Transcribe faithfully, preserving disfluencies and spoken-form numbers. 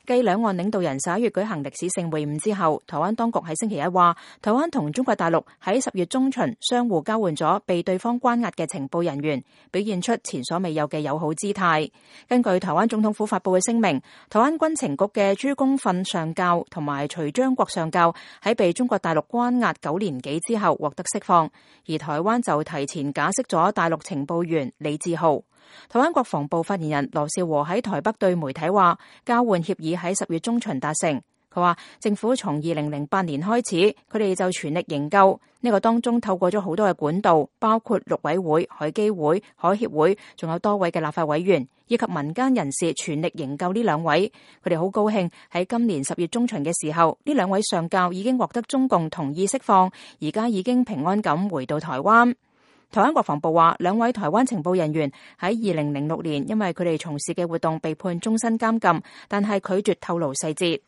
繼兩岸領導人十一月舉行歷史性會晤之後，台灣當局喺星期一話，台灣同中國大陸喺十月中旬相互交換咗被對方關押嘅情報人員，表現出前所未有嘅友好姿態。根據台灣總統府發布嘅聲明，台灣軍情局嘅朱公訓上校同埋徐章國上校喺被中國大陸關押九年幾之後獲得釋放，而台灣就提前假釋咗大陸情報員李志浩。台灣國防部發言人羅紹和喺台北對媒體話，交換協議喺十月中旬達成。佢話政府從二零零八年開始，佢哋就全力營救，呢個當中透過咗好多嘅管道，包括陸委會、海基會、海協會，仲有多位嘅立法委員以及民間人士全力營救呢兩位。佢哋好高興喺今年十月中旬嘅時候，呢兩位上校已經獲得中共同意釋放，而家已經平安咁回到台灣。台灣國防部話，兩位台灣情報人員喺二零零六年因為佢哋從事嘅活動被判終身監禁，但係拒絕透露細節。